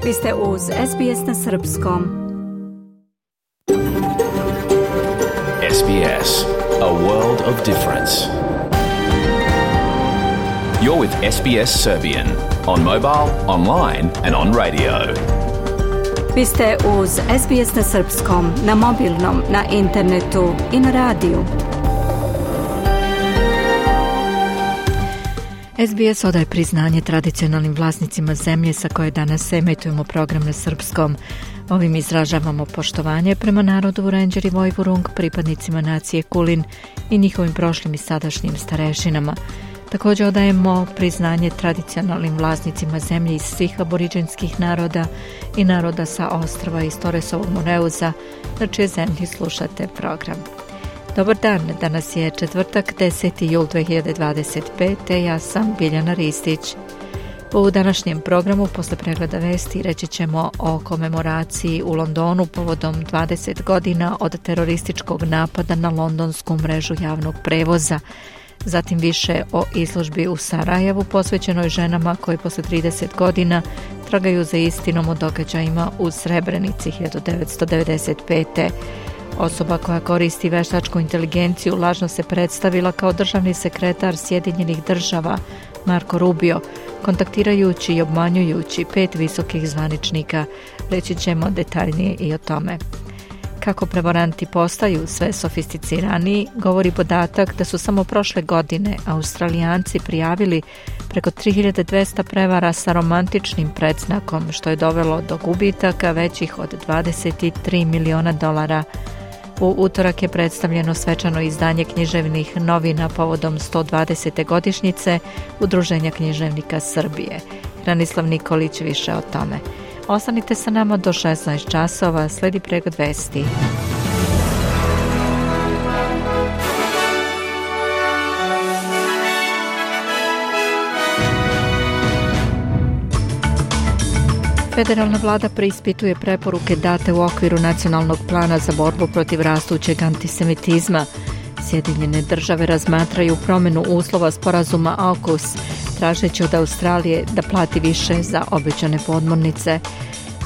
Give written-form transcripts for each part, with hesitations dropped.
Vi ste uz SBS na srpskom. SBS, a world of difference. You're with SBS Serbian on mobile, online and on radio. Vi ste uz SBS na srpskom, na mobilnom, na internetu i na radiju. SBS odaje priznanje tradicionalnim vlasnicima zemlje sa koje danas emitujemo program na srpskom. Ovim izražavamo poštovanje prema narodu Vurenđer i Vojvurung, pripadnicima nacije Kulin i njihovim prošlim i sadašnjim starešinama. Također odajemo priznanje tradicionalnim vlasnicima zemlje iz svih aboriđenskih naroda i naroda sa ostrva iz Toresovog Moreuza, na čije zemlji slušate program. Dobar dan, danas je četvrtak, 10. jul 2025. Ja sam Biljana Ristić. U današnjem programu, posle pregleda vesti, reći ćemo o komemoraciji u Londonu povodom 20 godina od terorističkog napada na londonsku mrežu javnog prevoza. Zatim više o izložbi u Sarajevu posvećenoj ženama koje posle 30 godina tragaju za istinom o događajima u Srebrenici 1995. Osoba koja koristi veštačku inteligenciju lažno se predstavila kao državni sekretar Sjedinjenih država Marco Rubio, kontaktirajući i obmanjujući 5 visokih zvaničnika. Reći ćemo detaljnije i o tome. Kako prevaranti postaju sve sofisticiraniji, govori podatak da su samo prošle godine Australijanci prijavili preko 3200 prevara sa romantičnim predznakom, što je dovelo do gubitaka većih od $23 miliona. U utorak je predstavljeno svečano izdanje književnih novina povodom 120. godišnjice Udruženja književnika Srbije. Hranislav Nikolić više o tome. Ostanite sa nama do 16 časova, sledi pregled vesti. Federalna vlada preispituje preporuke date u okviru nacionalnog plana za borbu protiv rastućeg antisemitizma. Sjedinjene države razmatraju promjenu uslova sporazuma AUKUS, tražeći od Australije da plati više za obećane podmornice.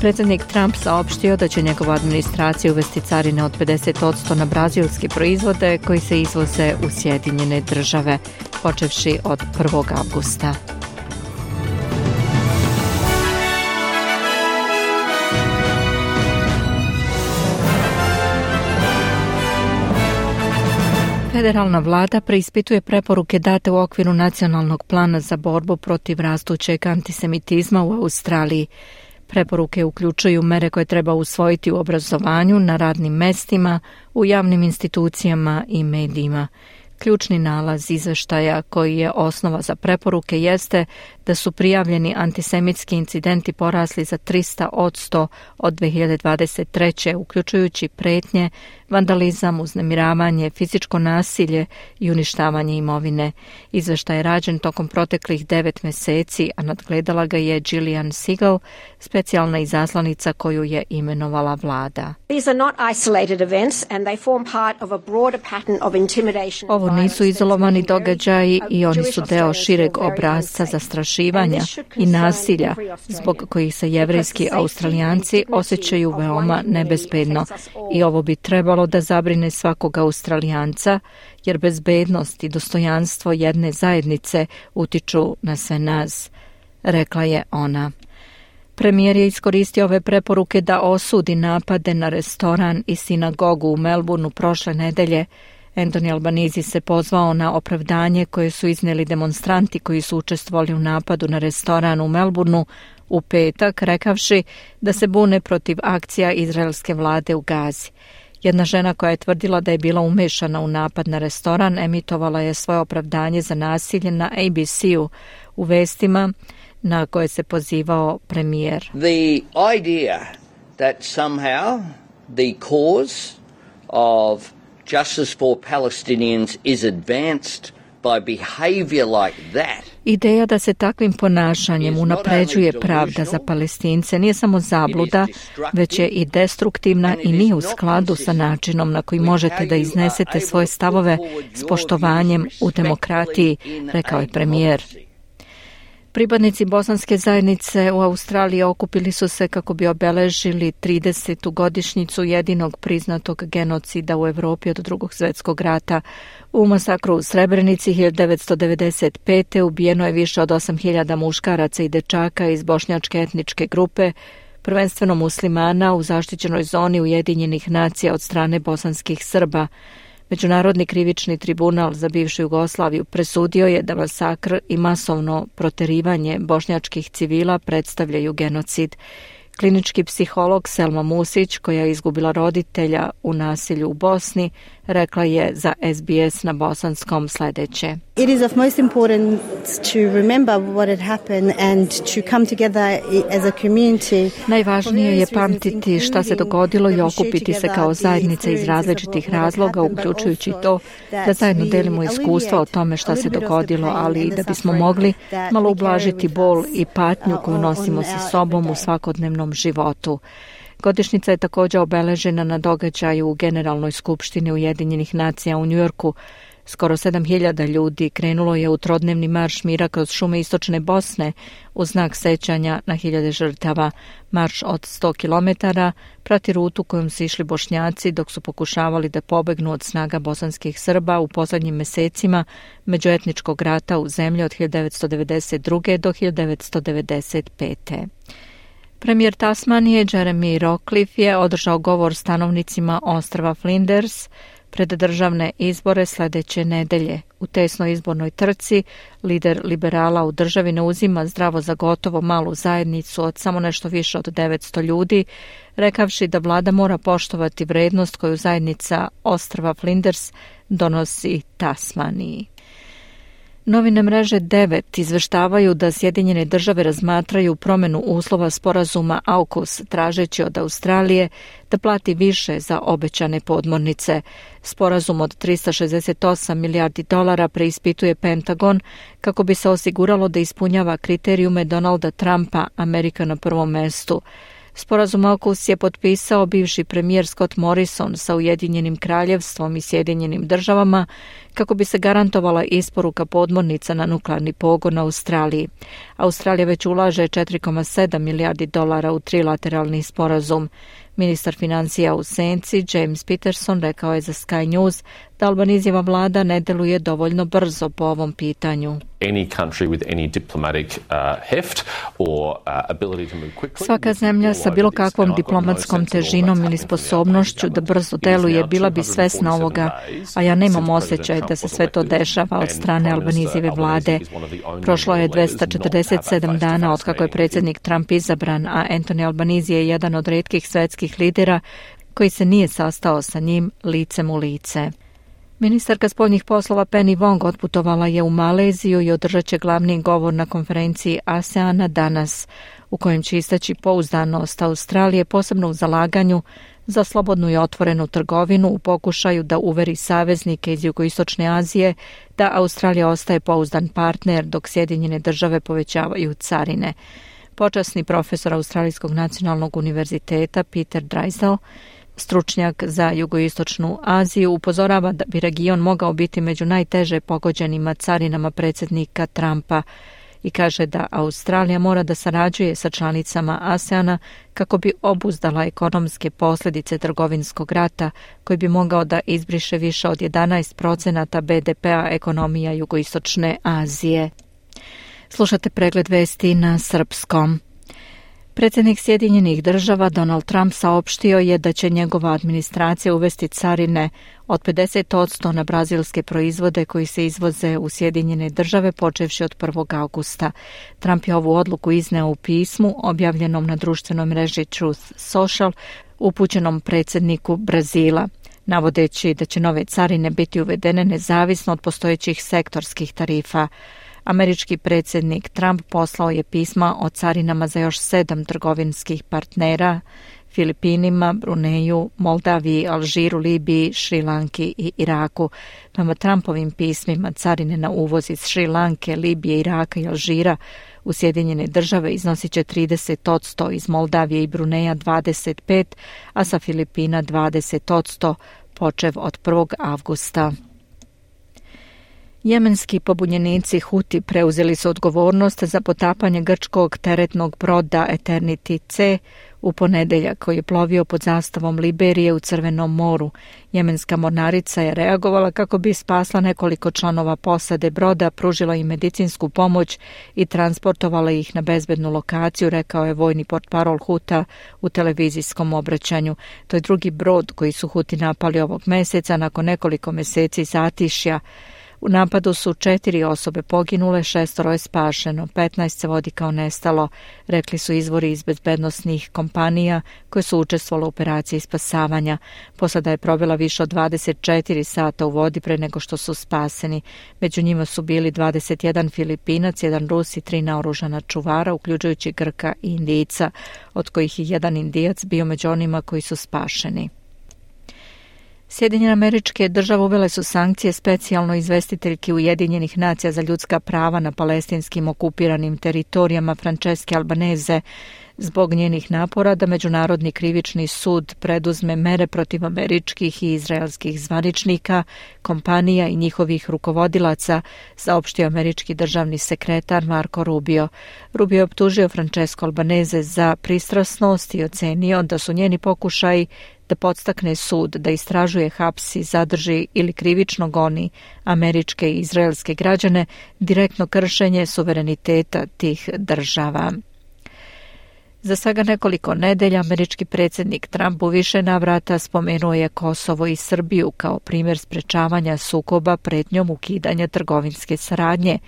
Predsjednik Trump saopštio da će njegova administracija uvesti carine od 50% na brazilske proizvode koji se izvoze u Sjedinjene države, počevši od 1. avgusta. Federalna vlada preispituje preporuke date u okviru nacionalnog plana za borbu protiv rastućeg antisemitizma u Australiji. Preporuke uključuju mere koje treba usvojiti u obrazovanju, na radnim mestima, u javnim institucijama i medijima. Ključni nalaz izveštaja koji je osnova za preporuke jeste da su prijavljeni antisemitski incidenti porasli za 300% od 2023. uključujući pretnje, vandalizam, uznemiravanje, fizičko nasilje i uništavanje imovine. Izveštaj je rađen tokom proteklih 9 meseci, a nadgledala ga je Gillian Segal, specijalna izaslanica koju je imenovala vlada. Ovo nisu izolovani događaji i oni su deo šireg obrasca zastrašivanja i nasilja zbog kojih se jevrejski Australijanci osjećaju veoma nebezbedno i ovo bi trebalo da zabrine svakog Australijanca jer bezbednost i dostojanstvo jedne zajednice utiču na sve nas, rekla je ona. Premijer je iskoristio ove preporuke da osudi napade na restoran i sinagogu u Melbourneu prošle nedelje. Anthony Albanese se pozvao na opravdanje koje su iznijeli demonstranti koji su učestvovali u napadu na restoran u Melbourneu u petak, rekavši da se bune protiv akcija izraelske vlade u Gazi. Jedna žena koja je tvrdila da je bila umešana u napad na restoran emitovala je svoje opravdanje za nasilje na ABC-u u vestima na koje se pozivao premijer. The idea that somehow the cause of justice for Palestinians is advanced by behavior like that. Ideja da se takvim ponašanjem unapređuje pravda za Palestince nije samo zabluda, već je i destruktivna i nije u skladu sa načinom na koji možete da iznesete svoje stavove s poštovanjem u demokratiji, rekao je premijer. Pripadnici bosanske zajednice u Australiji okupili su se kako bi obeležili 30. godišnjicu jedinog priznatog genocida u Evropi od Drugog svjetskog rata. U masakru u Srebrenici 1995. ubijeno je više od 8.000 muškaraca i dečaka iz bošnjačke etničke grupe, prvenstveno muslimana u zaštićenoj zoni Ujedinjenih nacija od strane bosanskih Srba. Međunarodni krivični tribunal za bivšu Jugoslaviju presudio je da masakr i masovno proterivanje bošnjačkih civila predstavljaju genocid. Klinički psiholog Selma Musić, koja je izgubila roditelja u nasilju u Bosni, rekla je za SBS na bosanskom sljedeće. It is of most importance to remember what had happened and to come together as a community. Najvažnije je pamtiti šta se dogodilo i okupiti se kao zajednica iz različitih razloga, uključujući to da zajedno delimo iskustva o tome šta se dogodilo, ali i da bismo mogli malo ublažiti bol i patnju koju nosimo sa sobom u svakodnevnom životu. Godišnjica je također obeležena na događaju u Generalnoj skupštini Ujedinjenih nacija u Njujorku. Skoro 7.000 ljudi krenulo je u trodnevni marš mira kroz šume istočne Bosne u znak sećanja na 1.000 žrtava. Marš od 100 km prati rutu kojom su išli Bošnjaci dok su pokušavali da pobegnu od snaga bosanskih Srba u posljednjim mesecima međuetničkog rata u zemlji od 1992. do 1995. Premijer Tasmanije Jeremy Rockliff je održao govor stanovnicima ostrva Flinders pred državne izbore sljedeće nedelje. U tesnoj izbornoj trci lider liberala u državi ne uzima zdravo za gotovo malu zajednicu od samo nešto više od 900 ljudi, rekavši da vlada mora poštovati vrednost koju zajednica ostrva Flinders donosi Tasmaniji. Novine mreže 9 izveštavaju da Sjedinjene države razmatraju promjenu uslova sporazuma AUKUS, tražeći od Australije da plati više za obećane podmornice. Sporazum od $368 milijardi preispituje Pentagon kako bi se osiguralo da ispunjava kriterijume Donalda Trumpa, Amerika na prvom mestu. Sporazum AUKUS je potpisao bivši premijer Scott Morrison sa Ujedinjenim kraljevstvom i Sjedinjenim državama kako bi se garantovala isporuka podmornica na nuklearni pogon na Australiji. Australija već ulaže $4,7 milijardi u trilateralni sporazum. Ministar financija u senci James Peterson rekao je za Sky News da Albanizijeva vlada ne deluje dovoljno brzo po ovom pitanju. Svaka zemlja sa bilo kakvom diplomatskom težinom ili sposobnošću da brzo deluje bila bi svesna ovoga, a ja nemam osjećaj da se sve to dešava od strane Albanizijeve vlade. Prošlo je 247 dana od kako je predsjednik Trump izabran, a Anthony Albanese je jedan od retkih svetskih lidera koji se nije sastao sa njim licem u lice. Ministarka spoljnih poslova Penny Wong otputovala je u Maleziju i održat će glavni govor na konferenciji ASEANA danas, u kojem će istaći pouzdanost Australije, posebno u zalaganju za slobodnu i otvorenu trgovinu u pokušaju da uveri saveznike iz Jugoistočne Azije da Australija ostaje pouzdan partner dok Sjedinjene države povećavaju carine. Počasni profesor Australijskog nacionalnog univerziteta Peter Drysdale, stručnjak za Jugoistočnu Aziju, upozorava da bi region mogao biti među najteže pogođenima carinama predsjednika Trumpa i kaže da Australija mora da sarađuje sa članicama ASEANA kako bi obuzdala ekonomske posljedice trgovinskog rata koji bi mogao da izbriše više od 11% BDP-a ekonomija Jugoistočne Azije. Slušate pregled vesti na srpskom. Predsjednik Sjedinjenih država Donald Trump saopštio je da će njegova administracija uvesti carine od 50% na brazilske proizvode koji se izvoze u Sjedinjene države počevši od 1. augusta. Trump je ovu odluku izneo u pismu objavljenom na društvenoj mreži Truth Social upućenom predsjedniku Brazila, navodeći da će nove carine biti uvedene nezavisno od postojećih sektorskih tarifa. Američki predsjednik Trump poslao je pisma o carinama za još 7 trgovinskih partnera, Filipinima, Bruneju, Moldaviji, Alžiru, Libiji, Šrilanki i Iraku. Prema Trumpovim pismima carine na uvoz iz Šrilanke, Libije, Iraka i Alžira u Sjedinjene države iznosit će 30%, iz Moldavije i Bruneja 25%, a sa Filipina 20%, počev od 1. avgusta. Jemenski pobunjenici Huti preuzeli su odgovornost za potapanje grčkog teretnog broda Eternity C u ponedeljak koji je plovio pod zastavom Liberije u Crvenom moru. Jemenska mornarica je reagovala kako bi spasla nekoliko članova posade broda, pružila im medicinsku pomoć i transportovala ih na bezbednu lokaciju, rekao je vojni portparol Huta u televizijskom obraćanju. To je drugi brod koji su Huti napali ovog meseca nakon nekoliko meseci zatišja. U napadu su 4 osobe poginule, 6 je spašeno, 15 se vodi kao nestalo, rekli su izvori iz bezbednosnih kompanija koje su učestvovale u operaciji spasavanja. Posada je provela više od 24 sata u vodi pre nego što su spaseni. Među njima su bili 21 Filipinac, 1 Rus i 3 naoružana čuvara, uključujući Grka i Indijca, od kojih je 1 Indijac bio među onima koji su spašeni. Sjedinjene Američke Države uvele su sankcije specijalno izvestiteljki Ujedinjenih nacija za ljudska prava na palestinskim okupiranim teritorijama Francesche Albanese zbog njenih napora da Međunarodni krivični sud preduzme mere protiv američkih i izraelskih zvaničnika, kompanija i njihovih rukovodilaca, saopštio američki državni sekretar Marco Rubio. Rubio je optužio Francesco Albanese za pristrasnost i ocenio da su njeni pokušaji da podstakne sud da istražuje, hapsi, zadrži ili krivično goni američke i izraelske građane direktno kršenje suvereniteta tih država. Za svega nekoliko nedelja američki predsjednik Trump u više navrata spomenuo je Kosovo i Srbiju kao primjer sprečavanja sukoba pretnjom ukidanja trgovinske saradnje.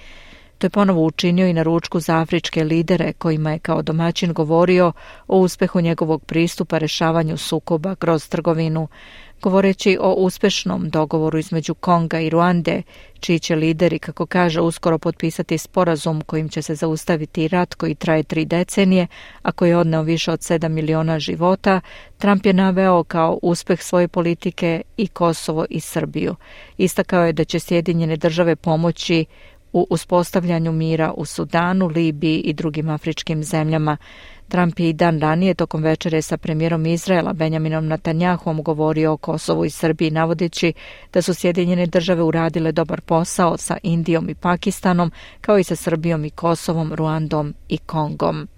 To je ponovo učinio i na ručku za afričke lidere kojima je kao domaćin govorio o uspehu njegovog pristupa rešavanju sukoba kroz trgovinu. Govoreći o uspešnom dogovoru između Konga i Ruande, čiji će lideri, kako kaže, uskoro potpisati sporazum kojim će se zaustaviti rat koji traje 3 decenije, a koji je odneo više od 7 miliona života, Trump je naveo kao uspeh svoje politike i Kosovo i Srbiju. Istakao je da će Sjedinjene Države pomoći u uspostavljanju mira u Sudanu, Libiji i drugim afričkim zemljama. Trump je i dan ranije tokom večere sa premijerom Izraela Benjaminom Netanjahom govorio o Kosovu i Srbiji, navodeći da su Sjedinjene Države uradile dobar posao sa Indijom i Pakistanom, kao i sa Srbijom i Kosovom, Ruandom i Kongom.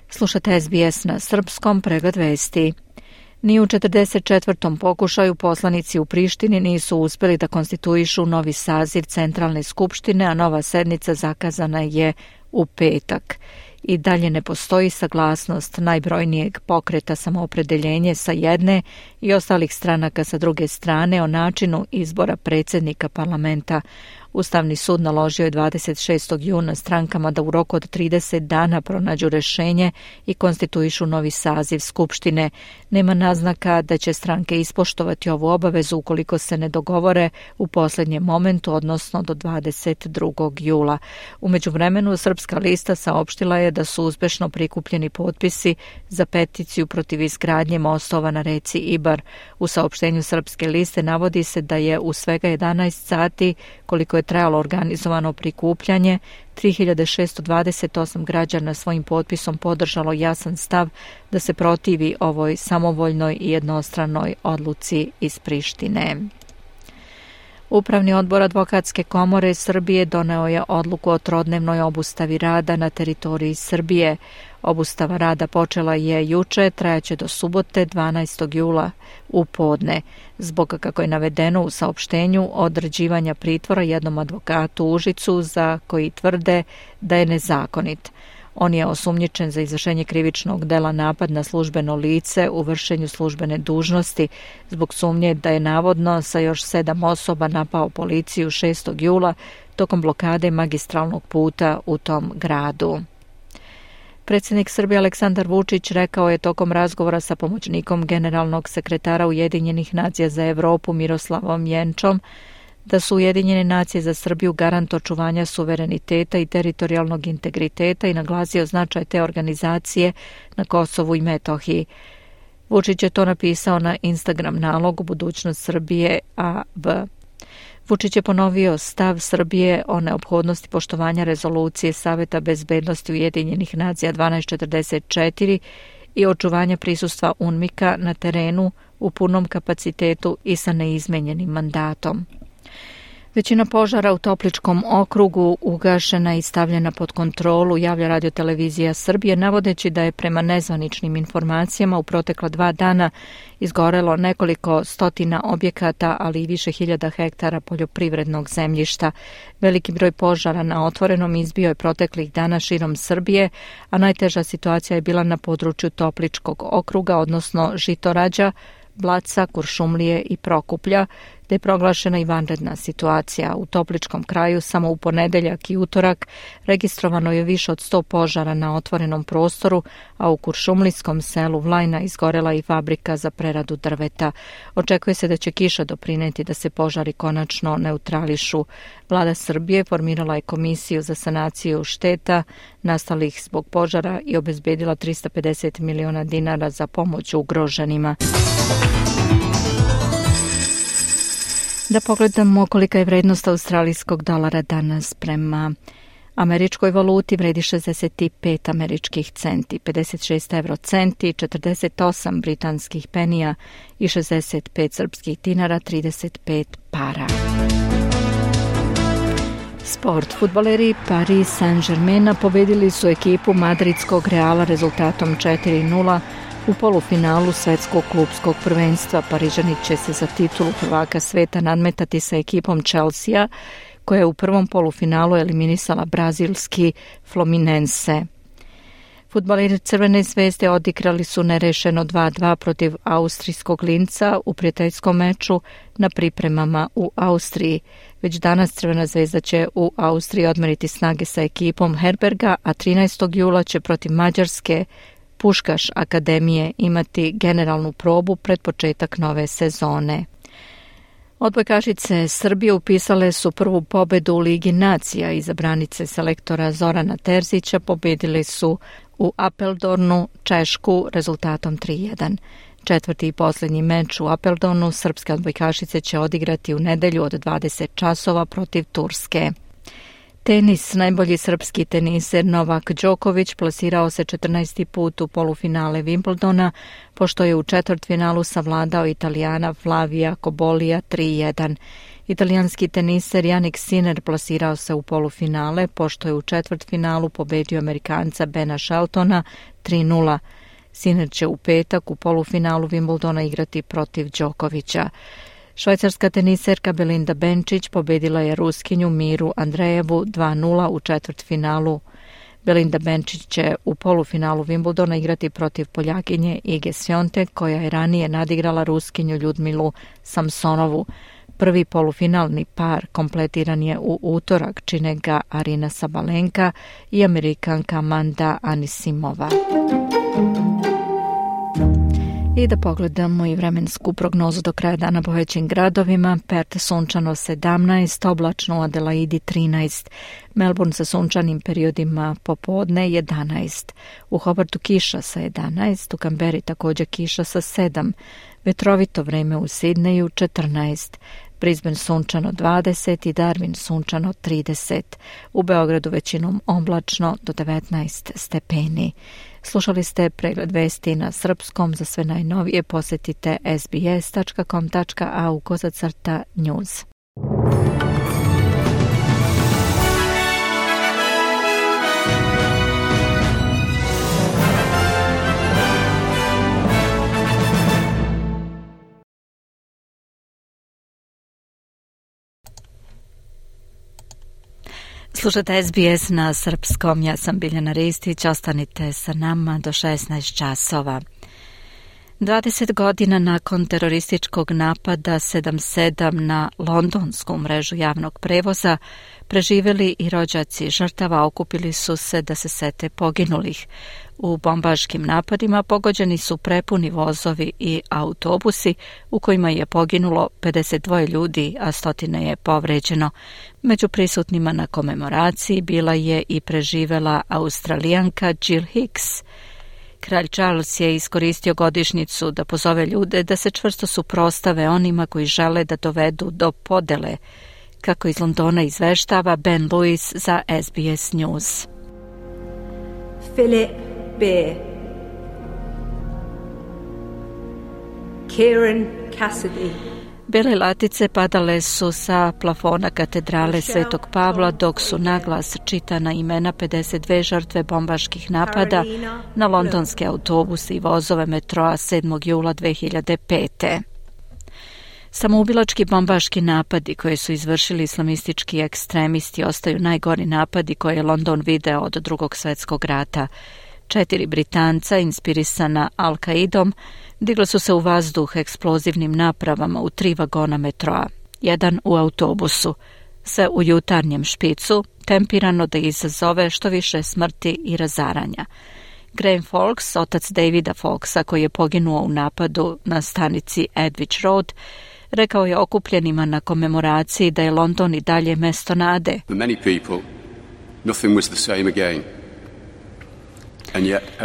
Slušate SBS na srpskom, pregled vesti. Ni u 44. pokušaju poslanici u Prištini nisu uspjeli da konstituišu novi saziv Centralne skupštine, a nova sednica zakazana je u petak. I dalje ne postoji saglasnost najbrojnijeg pokreta Samoopredeljenje sa jedne i ostalih stranaka sa druge strane o načinu izbora predsjednika parlamenta. Ustavni sud naložio je 26. juna strankama da u roku od 30 dana pronađu rešenje i konstituišu novi saziv Skupštine. Nema naznaka da će stranke ispoštovati ovu obavezu ukoliko se ne dogovore u posljednjem momentu, odnosno do 22. jula. U međuvremenu Srpska lista saopštila je da su uspešno prikupljeni potpisi za peticiju protiv izgradnje mostova na reci Ibar. U saopštenju Srpske liste navodi se da je u svega 11 sati, koliko je trajalo organizovano prikupljanje, 3628 građana svojim potpisom podržalo jasan stav da se protivi ovoj samovoljnoj i jednostranoj odluci iz Prištine. Upravni odbor Advokatske komore Srbije doneo je odluku o trodnevnoj obustavi rada na teritoriji Srbije. Obustava rada počela je juče, trajaće do subote 12. jula u podne, zbog, kako je navedeno u saopštenju, određivanja pritvora jednom advokatu u Užicu za koji tvrde da je nezakonit. On je osumnjičen za izvršenje krivičnog dela napad na službeno lice u vršenju službene dužnosti zbog sumnje da je navodno sa još 7 osoba napao policiju 6. jula tokom blokade magistralnog puta u tom gradu. Predsjednik Srbije Aleksandar Vučić rekao je tokom razgovora sa pomoćnikom generalnog sekretara Ujedinjenih nacija za Evropu Miroslavom Jenčom da su Ujedinjene nacije za Srbiju garant očuvanja suvereniteta i teritorijalnog integriteta i naglasio značaj te organizacije na Kosovu i Metohiji. Vučić je to napisao na Instagram nalogu Budućnost Srbije AV. Vučić je ponovio stav Srbije o neophodnosti poštovanja rezolucije Saveta bezbednosti Ujedinjenih nacija 1244 i očuvanja prisustva UNMIK-a na terenu u punom kapacitetu i sa neizmenjenim mandatom. Većina požara u Topličkom okrugu ugašena i stavljena pod kontrolu, javlja Radio-televizija Srbije, navodeći da je prema nezvaničnim informacijama u protekla 2 dana izgorelo nekoliko stotina objekata, ali i više hiljada hektara poljoprivrednog zemljišta. Veliki broj požara na otvorenom izbio je proteklih dana širom Srbije, a najteža situacija je bila na području Topličkog okruga, odnosno Žitorađa, Blaca, Kuršumlije i Prokuplja, gde je proglašena i vanredna situacija. U Topličkom kraju samo u ponedeljak i utorak registrovano je više od 100 požara na otvorenom prostoru, a u kuršumlijskom selu Vlajna izgorela i fabrika za preradu drveta. Očekuje se da će kiša doprineti da se požari konačno neutrališu. Vlada Srbije formirala je komisiju za sanaciju šteta nastalih zbog požara i obezbedila 350 miliona dinara za pomoć ugroženima. Da pogledamo kolika je vrednost australijskog dolara danas. Prema američkoj valuti vredi 65 američkih centi, 56 eurocenti, 48 britanskih penija i 65 srpskih dinara, 35 para. Sport. Fudbaleri Paris Saint-Germaina pobedili su ekipu madridskog Reala rezultatom 4:0 u polufinalu svetskog klupskog prvenstva. Parižani će se za titulu prvaka sveta nadmetati sa ekipom Chelsea, koja je u prvom polufinalu eliminisala brazilski Fluminense. Fudbaleri Crvene zvezde odigrali su nerešeno 2:2 protiv austrijskog Linca u prijateljskom meču na pripremama u Austriji. Već danas Crvena zvezda će u Austriji odmeriti snage sa ekipom Herberga, a 13. jula će protiv Mađarske Puškaš akademije imati generalnu probu pred početak nove sezone. Odbojkašice Srbije upisale su prvu pobedu u Ligi nacija. Izabranice selektora Zorana Terzića pobedili su u Apeldornu Češku rezultatom 3:1. Četvrti i posljednji meč u Apeldornu srpske odbojkašice će odigrati u nedelju od 20 časova protiv Turske. Tenis. Najbolji srpski teniser Novak Đoković plasirao se 14. put u polufinale Wimbledona, pošto je u četvrtfinalu savladao Italijana Flavija Kobolija 3:1. Italijanski teniser Jannik Sinner plasirao se u polufinale, pošto je u četvrtfinalu pobedio Amerikanca Bena Sheltona 3:0. Sinner će u petak u polufinalu Wimbledona igrati protiv Đokovića. Švajcarska teniserka Belinda Bencic pobedila je Ruskinju Miru Andrejevu 2:0 u četvrtfinalu. Belinda Bencic će u polufinalu Wimbledona igrati protiv Poljakinje Ige Swiatek, koja je ranije nadigrala Ruskinju Ljudmilu Samsonovu. Prvi polufinalni par kompletiran je u utorak, čine ga Arina Sabalenka i Amerikanka Amanda Anisimova. I da pogledamo i vremensku prognozu do kraja dana po većim gradovima. Perth sunčano 17, oblačno u Adelaidi 13, Melbourne sa sunčanim periodima popodne 11, u Hobartu kiša sa 11, u Kamberi također kiša sa 7, vetrovito vreme u Sidneju 14, Brisbane sunčano 20 i Darwin sunčano 30, u Beogradu većinom oblačno do 19 stepeni. Slušali ste pregled vesti na srpskom. Za sve najnovije posjetite sbs.com.au/news. Slušate SBS na srpskom, ja sam Biljana Ristić, ostanite sa nama do 16 časova. 20 godina nakon terorističkog napada 7/7 na londonsku mrežu javnog prevoza, preživjeli i rođaci žrtava okupili su se da se sete poginulih. U bombaškim napadima pogođeni su prepuni vozovi i autobusi u kojima je poginulo 52 ljudi, a stotine je povređeno. Među prisutnima na komemoraciji bila je i preživela Australijanka Jill Hicks. Kralj Charles je iskoristio godišnjicu da pozove ljude da se čvrsto suprotstave onima koji žele da dovedu do podele, kako iz Londona izveštava Ben Lewis za SBS News. Philip Beer, Kieran Cassidy, Bele latice padale su sa plafona katedrale Svetog Pavla dok su naglas čitana imena 52 žrtve bombaških napada na londonske autobuse i vozove metroa 7. jula 2005. Samoubilački bombaški napadi koje su izvršili islamistički ekstremisti ostaju najgori napadi koje je London video od Drugog svjetskog rata. 4 Britanca, inspirisana Al-Qaidom, digla su se u vazduh eksplozivnim napravama u 3 vagona metroa, jedan u autobusu, sve u jutarnjem špicu, tempirano da izazove što više smrti i razaranja. Graham Fawkes, otac Davida Fawkesa koji je poginuo u napadu na stanici Edwidge Road, rekao je okupljenima na komemoraciji da je London i dalje mesto nade.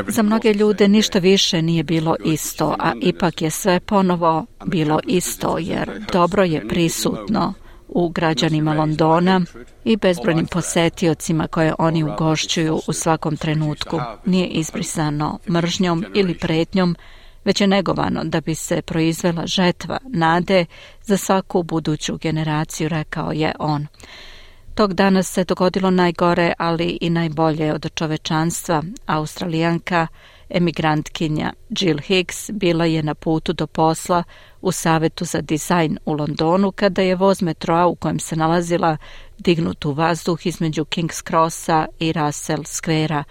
Za mnoge ljude ništa više nije bilo isto, a ipak je sve ponovo bilo isto, jer dobro je prisutno u građanima Londona i bezbrojnim posetiocima koje oni ugošćuju u svakom trenutku. Nije izbrisano mržnjom ili pretnjom, već je negovano da bi se proizvela žetva nade za svaku buduću generaciju, rekao je on. Tog dana se dogodilo najgore, ali i najbolje od čovečanstva. Australijanka, emigrantkinja Jill Higgs bila je na putu do posla u Savetu za dizajn u Londonu kada je voz metroa u kojem se nalazila dignut u vazduh između King's Crossa i Russell Squarea.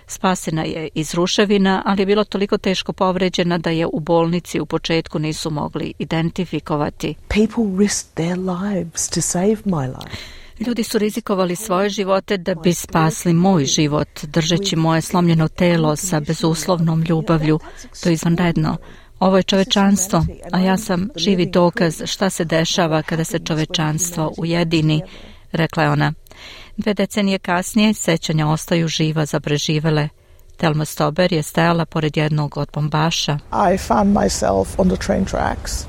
Spasena je iz ruševina, ali je bilo toliko teško povređena da je u bolnici u početku nisu mogli identifikovati. People risked their lives to save my life. Ljudi su rizikovali svoje živote da bi spasli moj život, držeći moje slomljeno telo sa bezuslovnom ljubavlju. To je izvanredno. Ovo je čovečanstvo, a ja sam živi dokaz šta se dešava kada se čovečanstvo ujedini, rekla je ona. 2 decenije kasnije sećanja ostaju živa za preživele. Thelma Stober je stajala pored jednog od bombaša. I found myself on the train tracks.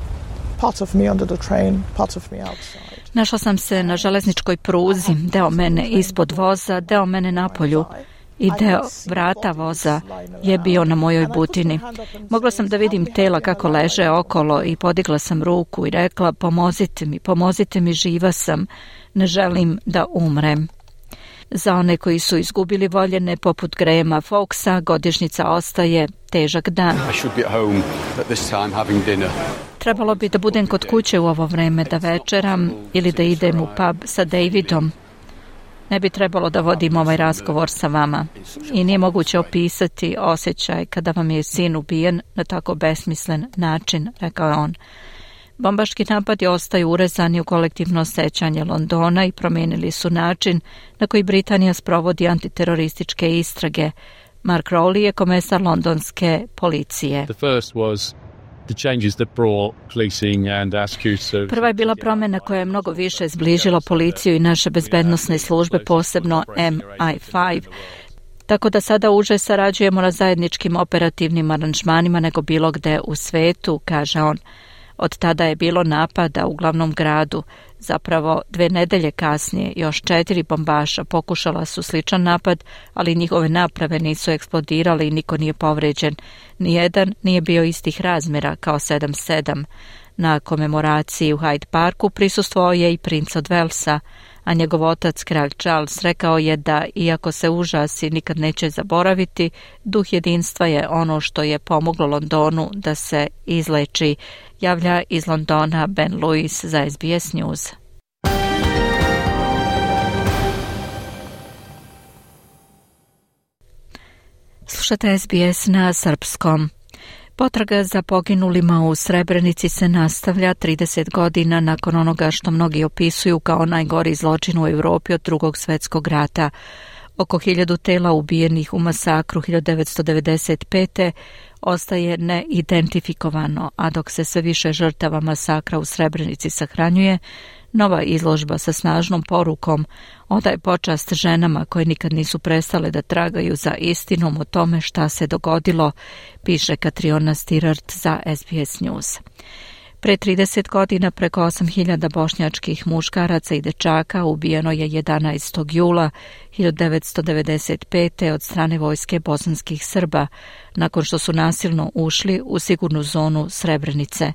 Part of me under the train, part of me outside. Našla sam se na železničkoj pruzi, deo mene ispod voza, deo mene napolju i deo vrata voza je bio na mojoj butini. Mogla sam da vidim tela kako leže okolo i podigla sam ruku i rekla pomozite mi, živa sam, ne želim da umrem. Za one koji su izgubili voljene poput Grahama Fawkesa, godišnjica ostaje težak dan. Trebalo bi da budem kod kuće u ovo vreme da večeram ili da idem u pub sa Davidom. Ne bi trebalo da vodim ovaj razgovor sa vama. I nije moguće opisati osjećaj kada vam je sin ubijen na tako besmislen način, rekao je on. Bombaški napadi ostaju urezani u kolektivno sećanje Londona i promijenili su način na koji Britanija sprovodi antiterorističke istrage. Mark Rowley je komesar londonske policije. Prva je bila promjena koja je mnogo više zbližila policiju i naše bezbednosne službe, posebno MI5, tako da sada uže sarađujemo na zajedničkim operativnim aranžmanima nego bilo gde u svetu, kaže on. Od tada je bilo napada u glavnom gradu. Zapravo 2 nedelje kasnije još 4 bombaša pokušala su sličan napad, ali njihove naprave nisu eksplodirale i niko nije povređen. Nijedan nije bio istih razmjera kao 7-7. Na komemoraciji u Hyde Parku prisustvovao je i princ od Walesa, a njegov otac, kralj Charles, rekao je da, iako se užasi nikad neće zaboraviti, duh jedinstva je ono što je pomoglo Londonu da se izleči, javlja iz Londona Ben Lewis za SBS News. Slušate SBS na srpskom. Potraga za poginulima u Srebrenici se nastavlja 30 godina nakon onoga što mnogi opisuju kao najgori zločin u Europi od Drugog svjetskog rata. Oko 1000 tela ubijenih u masakru 1995. ostaje neidentifikovano, a dok se sve više žrtava masakra u Srebrenici sahranjuje, nova izložba sa snažnom porukom odaje počast ženama koje nikad nisu prestale da tragaju za istinom o tome šta se dogodilo, piše Katriona Stirart za SBS News. Pre 30 godina preko 8000 bošnjačkih muškaraca i dečaka ubijeno je 11. jula 1995. od strane vojske bosanskih Srba, nakon što su nasilno ušli u sigurnu zonu Srebrenice.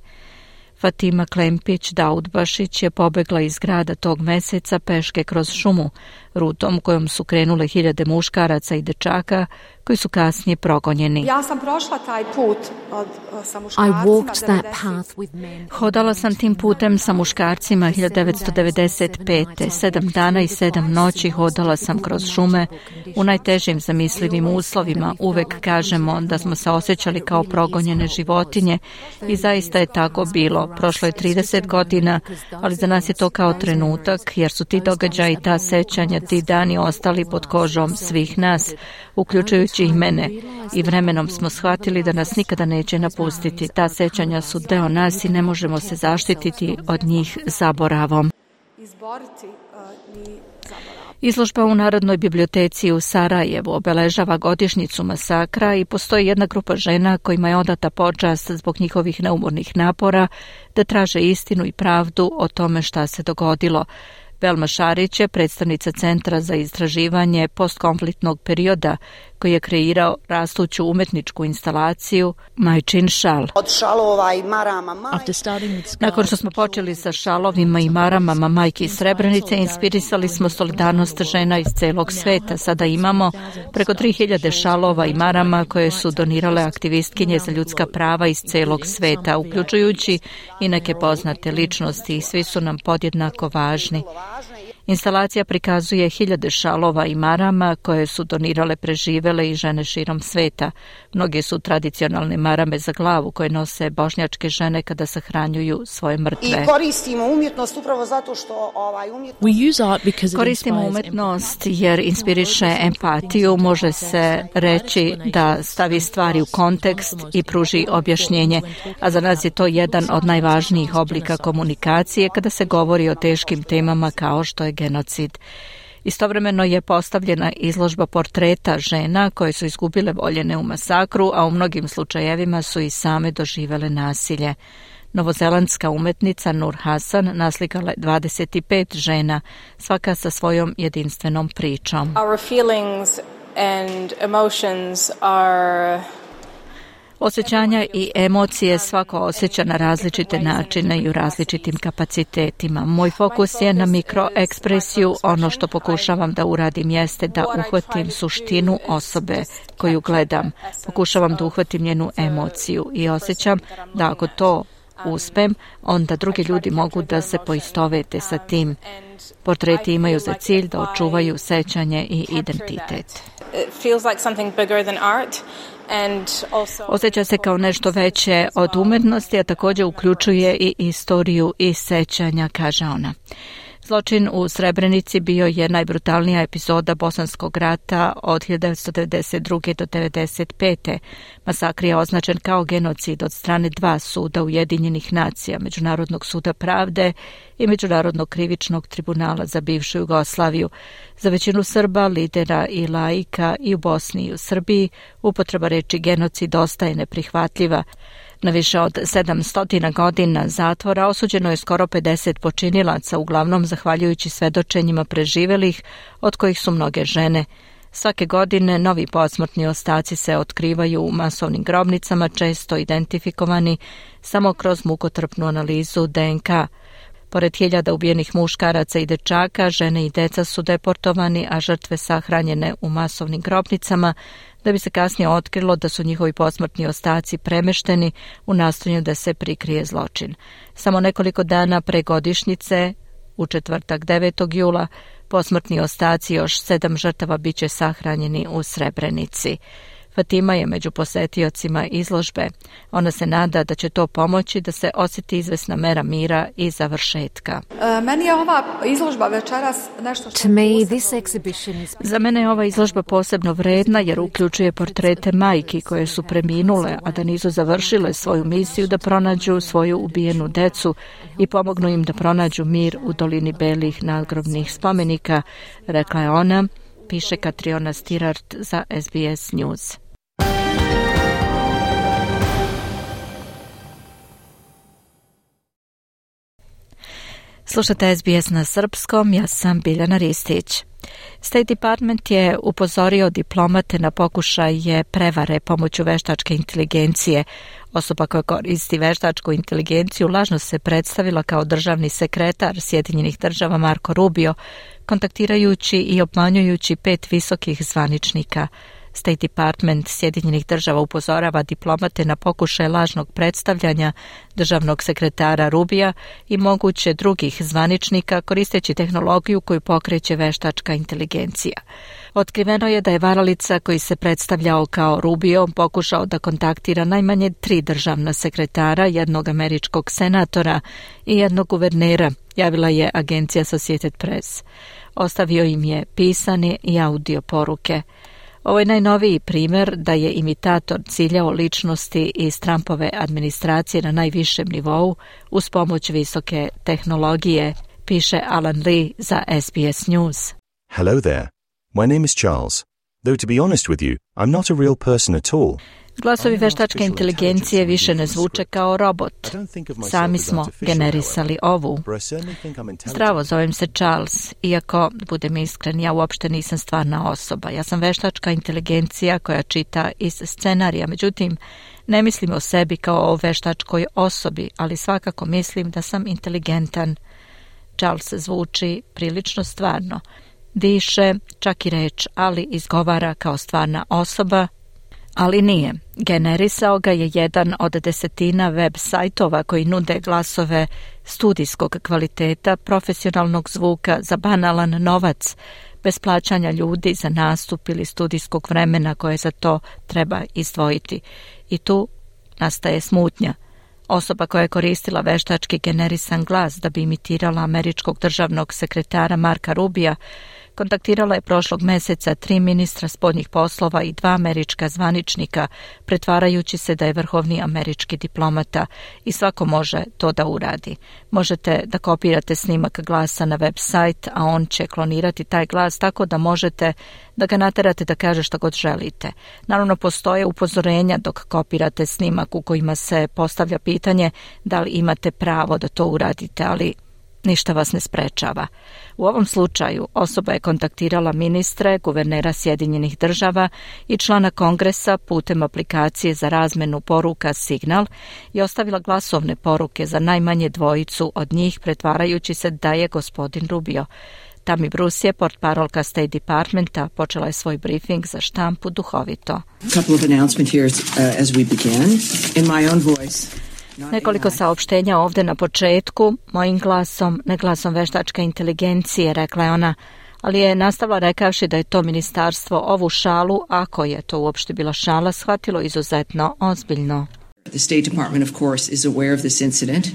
Fatima Klempić Daudbašić je pobegla iz grada tog meseca peške kroz šumu, rutom kojom su krenule hiljade muškaraca i dečaka koji su kasnije progonjeni. Ja sam prošla taj put sa muškarcima. Hodala sam tim putem sa muškarcima 1995. 7 dana i 7 noći hodala sam kroz šume u najtežim zamislivim uslovima. Uvek kažemo da smo se osjećali kao progonjene životinje i zaista je tako bilo. Prošlo je 30 godina, ali za nas je to kao trenutak, jer su ti događaji, ta sećanja, ti dani ostali pod kožom svih nas, uključujući i mene. I vremenom smo shvatili da nas nikada neće napustiti. Ta sećanja su deo nas i ne možemo se zaštititi od njih zaboravom. Izložba u Narodnoj biblioteci u Sarajevu obeležava godišnjicu masakra i postoji jedna grupa žena kojima je odata počast zbog njihovih neumornih napora da traže istinu i pravdu o tome šta se dogodilo. Velma Šarić je predstavnica Centra za istraživanje postkonfliktnog perioda koji je kreirao rastuću umetničku instalaciju Majčin šal. Od šalova i marama Nakon što smo počeli sa šalovima i maramama majki iz Srebrenice, inspirisali smo solidarnost žena iz celog sveta. Sada imamo preko 3000 šalova i marama koje su donirale aktivistkinje za ljudska prava iz celog sveta, uključujući i neke poznate ličnosti, i svi su nam podjednako važni. Instalacija prikazuje hiljade šalova i marama koje su donirale preživele i žene širom sveta. Mnoge su tradicionalne marame za glavu koje nose bošnjačke žene kada sahranjuju svoje mrtve. I koristimo umjetnost upravo zato što Koristimo umetnost jer inspiriše empatiju, može se reći da stavi stvari u kontekst i pruži objašnjenje, a za nas je to jedan od najvažnijih oblika komunikacije kada se govori o teškim temama kao što je genocid. Istovremeno je postavljena izložba portreta žena koje su izgubile voljene u masakru, a u mnogim slučajevima su i same doživele nasilje. Novozelandska umetnica Nur Hasan naslikala 25 žena, svaka sa svojom jedinstvenom pričom. Our feelings and emotions are... Osjećanja i emocije svako osjeća na različite načine i u različitim kapacitetima. Moj fokus je na mikroekspresiju. Ono što pokušavam da uradim jeste da uhvatim suštinu osobe koju gledam. Pokušavam da uhvatim njenu emociju i osjećam da ako to uspem, onda drugi ljudi mogu da se poistovete sa tim. Portreti imaju za cilj da očuvaju sećanje i identitet. Osjeća se kao nešto veće od umetnosti, a također uključuje i istoriju i sećanja, kaže ona. Zločin u Srebrenici bio je najbrutalnija epizoda Bosanskog rata od 1992. do 1995. Masakr je označen kao genocid od strane 2 suda Ujedinjenih nacija, Međunarodnog suda pravde i Međunarodnog krivičnog tribunala za bivšu Jugoslaviju. Za većinu Srba, lidera i laika i u Bosni i u Srbiji upotreba reči genocid ostaje neprihvatljiva. Na više od 700 godina zatvora osuđeno je skoro 50 počinilaca, uglavnom zahvaljujući svedočenjima preživelih, od kojih su mnoge žene. Svake godine novi posmrtni ostaci se otkrivaju u masovnim grobnicama, često identifikovani samo kroz mukotrpnu analizu DNK. Pored hiljada ubijenih muškaraca i dečaka, žene i deca su deportovani, a žrtve sahranjene u masovnim grobnicama, da bi se kasnije otkrilo da su njihovi posmrtni ostaci premešteni u nastojanju da se prikrije zločin. Samo nekoliko dana pre godišnjice, u četvrtak 9. jula, posmrtni ostaci još 7 žrtava biće sahranjeni u Srebrenici. Fatima je među posetiocima izložbe. Ona se nada da će to pomoći da se osjeti izvesna mera mira i završetka. Meni je ova izložba večeras nešto što... Za mene je ova izložba posebno vredna jer uključuje portrete majki koje su preminule, a da nisu završile svoju misiju da pronađu svoju ubijenu decu i pomognu im da pronađu mir u dolini belih nadgrobnih spomenika, rekla je ona, piše Katriona Stirart za SBS News. Slušate SBS na srpskom, ja sam Biljana Ristić. State Department je upozorio diplomate na pokušaje prevare pomoću veštačke inteligencije. Osoba koja koristi veštačku inteligenciju lažno se predstavila kao državni sekretar Sjedinjenih država Marco Rubio, kontaktirajući i obmanjujući 5 visokih zvaničnika. State Department Sjedinjenih država upozorava diplomate na pokušaj lažnog predstavljanja državnog sekretara Rubija i moguće drugih zvaničnika koristeći tehnologiju koju pokreće veštačka inteligencija. Otkriveno je da je varalica koji se predstavljao kao Rubio pokušao da kontaktira najmanje 3 državna sekretara, jednog američkog senatora i jednog guvernera, javila je agencija Associated Press. Ostavio im je pisane i audio poruke. Ovo je najnoviji primjer da je imitator ciljao ličnosti iz Trumpove administracije na najvišem nivou uz pomoć visoke tehnologije, piše Alan Lee za SBS News. Hello there. My name is Charles. Though to be honest with you, I'm not a real person at all. Glasovi veštačke inteligencije više ne zvuče kao robot. Sami smo generisali ovu. Zdravo, zovem se Charles. Iako, budem iskren, ja uopšte nisam stvarna osoba. Ja sam veštačka inteligencija koja čita iz scenarija. Međutim, ne mislim o sebi kao o veštačkoj osobi, ali svakako mislim da sam inteligentan. Charles zvuči prilično stvarno. Diše, čak i reč, ali izgovara kao stvarna osoba, ali nije. Generisao ga je jedan od 10 web sajtova koji nude glasove studijskog kvaliteta, profesionalnog zvuka za banalan novac, bez plaćanja ljudi za nastup ili studijskog vremena koje za to treba izdvojiti. I tu nastaje smutnja. Osoba koja je koristila veštački generisan glas da bi imitirala američkog državnog sekretara Marka Rubija, kontaktirala je prošlog meseca 3 ministra spoljnih poslova i 2 američka zvaničnika, pretvarajući se da je vrhovni američki diplomata i svako može to da uradi. Možete da kopirate snimak glasa na web sajt, a on će klonirati taj glas tako da možete da ga naterate da kaže što god želite. Naravno, postoje upozorenja dok kopirate snimak u kojima se postavlja pitanje da li imate pravo da to uradite, ali ništa vas ne sprečava. U ovom slučaju osoba je kontaktirala ministre, guvernera Sjedinjenih država i člana kongresa putem aplikacije za razmenu poruka Signal i ostavila glasovne poruke za najmanje 2 od njih, pretvarajući se da je gospodin Rubio. Tammy Bruce je portparolka State Departmenta, počela je svoj briefing za štampu duhovito. Nekoliko saopštenja ovdje na početku, mojim glasom, ne glasom veštačke inteligencije, rekla je ona, ali je nastavila rekavši da je to ministarstvo ovu šalu, ako je to uopšte bila šala, shvatilo izuzetno ozbiljno. The State Department, of course, is aware of this incident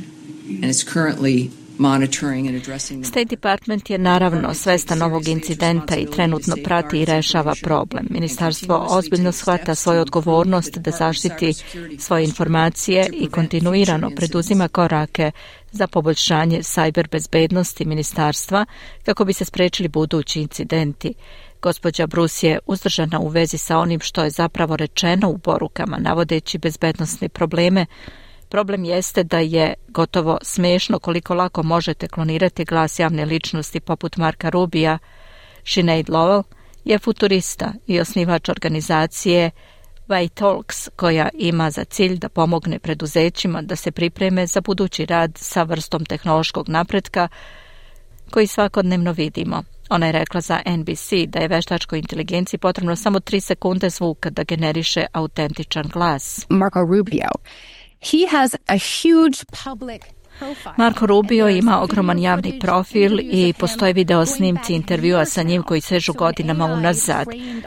and is currently monitoring and addressing them. State Department je naravno svestan ovog incidenta i trenutno prati i rešava problem. Ministarstvo ozbiljno shvata svoju odgovornost da zaštiti svoje informacije i kontinuirano preduzima korake za poboljšanje sajber bezbednosti ministarstva kako bi se sprečili budući incidenti. Gospođa Bruce je uzdržana u vezi sa onim što je zapravo rečeno u porukama, navodeći bezbednosne probleme. Problem jeste da je gotovo smešno koliko lako možete klonirati glas javne ličnosti poput Marka Rubija. Sinead Lowell je futurista i osnivač organizacije Talks, koja ima za cilj da pomogne preduzećima da se pripreme za budući rad sa vrstom tehnološkog napretka koji svakodnevno vidimo. Ona je rekla za NBC da je veštačkoj inteligenciji potrebno samo 3 sekunde zvuka da generiše autentičan glas. Marco Rubio. He has a huge public profile. Marco Rubio ima ogroman javni profil i postoje video snimci intervjua sa njim koji sežu godinama unazad.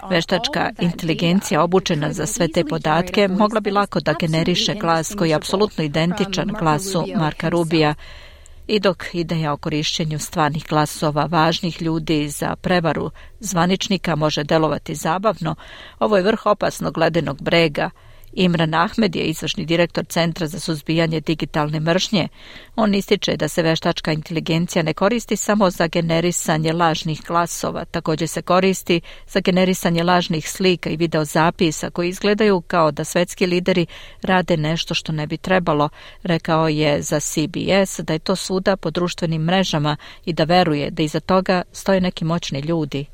Veštačka inteligencija obučena za sve te podatke mogla bi lako da generiše glas koji je apsolutno identičan glasu Marka Rubija. I dok ideja o korišćenju stvarnih glasova važnih ljudi za prevaru zvaničnika može delovati zabavno, ovo je vrh opasnog ledenog brega Imran Ahmed je izvršni direktor Centra za suzbijanje digitalne mržnje. On ističe da se veštačka inteligencija ne koristi samo za generisanje lažnih glasova, također se koristi za generisanje lažnih slika i videozapisa koji izgledaju kao da svetski lideri rade nešto što ne bi trebalo. Rekao je za CBS da je to svuda po društvenim mrežama i da veruje da iza toga stoje neki moćni ljudi.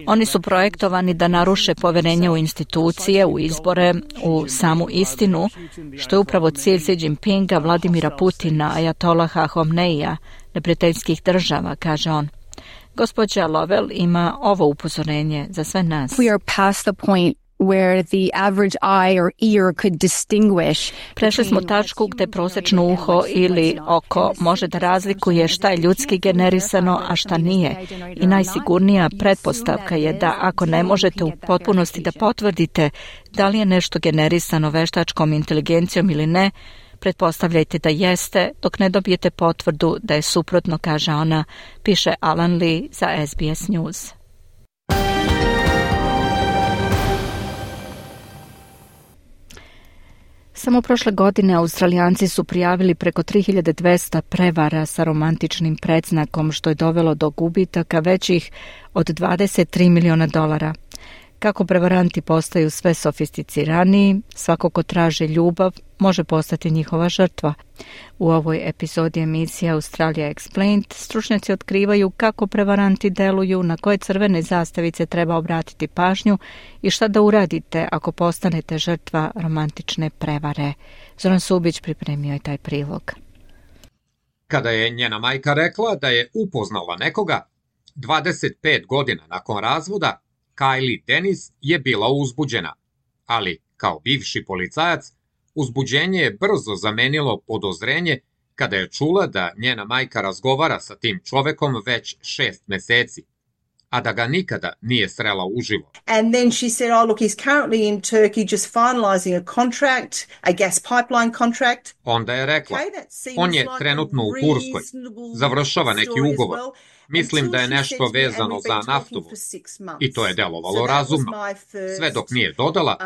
Oni su projektovani da naruše poverenje u institucije, u izbore, u samu istinu, što je upravo cilj Xi Jinpinga, Vladimira Putina, Ajatolaha Homneija, neprijateljskih država, kaže on. Gospođa Lovell ima ovo upozorenje za sve nas. We are past the point where the average eye or ear could distinguish. Prešli smo tačku gde prosječno uho ili oko može da razlikuje šta je ljudski generisano, a šta nije. I najsigurnija pretpostavka je da ako ne možete u potpunosti da potvrdite da li je nešto generisano veštačkom inteligencijom ili ne, pretpostavljajte da jeste dok ne dobijete potvrdu da je suprotno, kaže ona, piše Alan Lee za SBS News. Samo prošle godine Australijanci su prijavili preko 3200 prevara sa romantičnim predznakom, što je dovelo do gubitaka većih od $23 miliona. Kako prevaranti postaju sve sofisticiraniji, svako ko traži ljubav može postati njihova žrtva. U ovoj epizodi emisije Australia Explained stručnjaci otkrivaju kako prevaranti deluju, na koje crvene zastavice treba obratiti pažnju i šta da uradite ako postanete žrtva romantične prevare. Zoran Subić pripremio je taj prilog. Kada je njena majka rekla da je upoznala nekoga, 25 godina nakon razvoda, Kylie Dennis je bila uzbuđena, ali kao bivši policajac, uzbuđenje je brzo zamenilo podozrenje kada je čula da njena majka razgovara sa tim čovekom već 6 meseci, a da ga nikada nije srela uživo. And then she said, oh look, he's currently in Turkey just finalizing a contract, a gas pipeline contract. Onda je rekla, on je trenutno u Turskoj, završava neki ugovor. Mislim da je nešto vezano za naftovu i to je delovalo razumno. Sve dok nije dodala,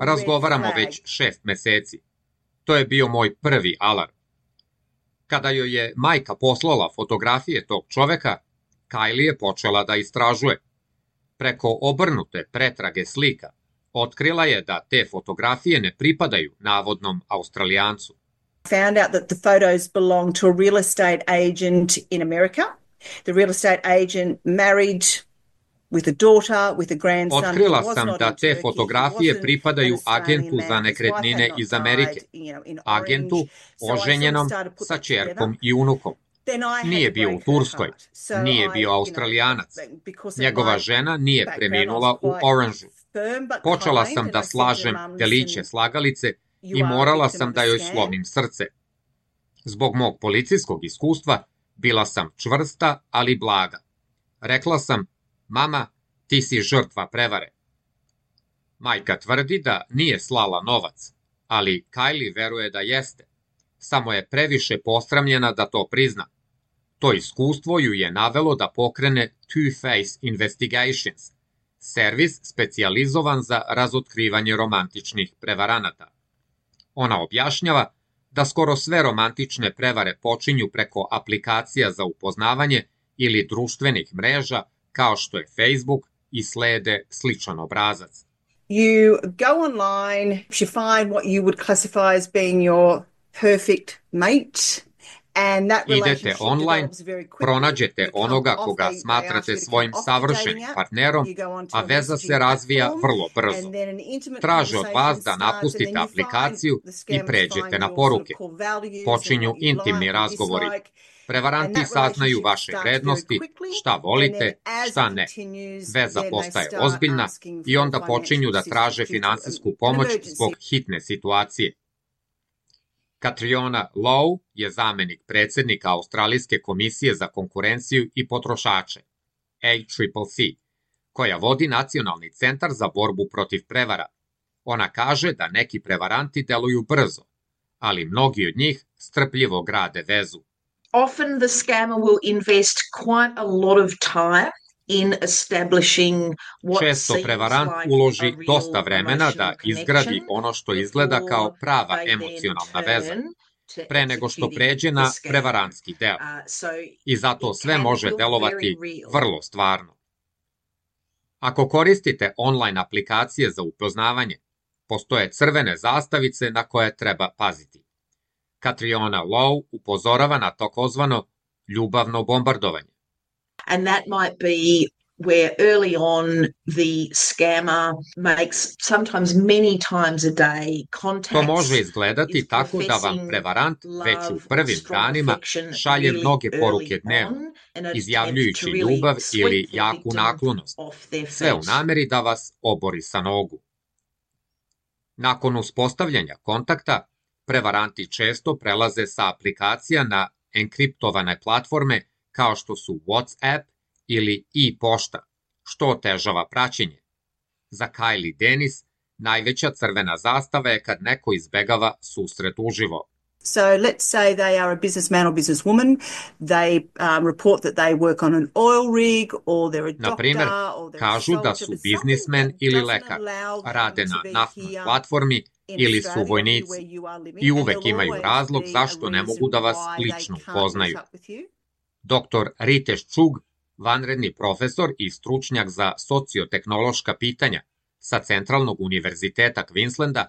razgovaramo već 6 meseci. To je bio moj prvi alarm. Kada joj je majka poslala fotografije tog čoveka, Kylie je počela da istražuje. Preko obrnute pretrage slika, otkrila je da te fotografije ne pripadaju navodnom Australijancu. Found out that the photos belong to a real estate agent in America. The real estate agent married with a daughter, with a grandson. Otkrila sam da te fotografije pripadaju agentu za nekretnine iz Amerike, agentu oženjenom sa ćerkom i unukom. Nije bio u Turskoj, nije bio Australijanac. Njegova žena nije preminula u Orangeu. Počela sam da slažem deliće slagalice i morala sam da joj slomim srce. Zbog mog policijskog iskustva bila sam čvrsta, ali blaga. Rekla sam, mama, ti si žrtva prevare. Majka tvrdi da nije slala novac, ali Kylie veruje da jeste. Samo je previše posramljena da to prizna. To iskustvo ju je navelo da pokrene Two-Face Investigations, servis specijalizovan za razotkrivanje romantičnih prevaranata. Ona objašnjava da skoro sve romantične prevare počinju preko aplikacija za upoznavanje ili društvenih mreža kao što je Facebook i slede sličan obrazac. You go online, you find what you would classify as being your perfect mate. Idete online, pronađete onoga koga smatrate svojim savršenim partnerom, a veza se razvija vrlo brzo. Traže od vas da napustite aplikaciju i pređete na poruke. Počinju intimni razgovori. Prevaranti saznaju vaše vrednosti, šta volite, šta ne. Veza postaje ozbiljna i onda počinju da traže finansijsku pomoć zbog hitne situacije. Catriona Lowe je zamenik predsjednika Australijske komisije za konkurenciju i potrošače, ACCC, koja vodi Nacionalni centar za borbu protiv prevara. Ona kaže da neki prevaranti deluju brzo, ali mnogi od njih strpljivo grade vezu. Often the scammer will invest quite a lot of time Često prevarant uloži dosta vremena da izgradi ono što izgleda kao prava emocionalna veza, pre nego što pređe na prevarantski deo. I zato sve može delovati vrlo stvarno. Ako koristite online aplikacije za upoznavanje, postoje crvene zastavice na koje treba paziti. Catriona Lowe upozorava na takozvano ljubavno bombardovanje. And that might be where early on the scammer makes sometimes many times a day contacts. To može izgledati tako da vam prevarant već u prvim danima šalje mnoge poruke dnevno, izjavljujući ljubav ili jaku naklonost, sve u nameri da vas obori sa nogu. Nakon uspostavljanja kontakta, prevaranti često prelaze sa aplikacija na enkriptovane platforme kao što su WhatsApp ili e-pošta, što otežava praćenje. Za Kylie Dennis najveća crvena zastava je kad neko izbegava susret uživo. So let's say they are a businessman or businesswoman. They report that they work on an oil rig or they're a doctor. Na primer, kažu da su biznismen ili lekar, rade na naftnoj platformi ili su vojnici i uvek imaju razlog zašto ne mogu da vas lično upoznaju. Dr. Ritesh Chugh, vanredni profesor i stručnjak za sociotehnološka pitanja sa Centralnog univerziteta Queenslanda,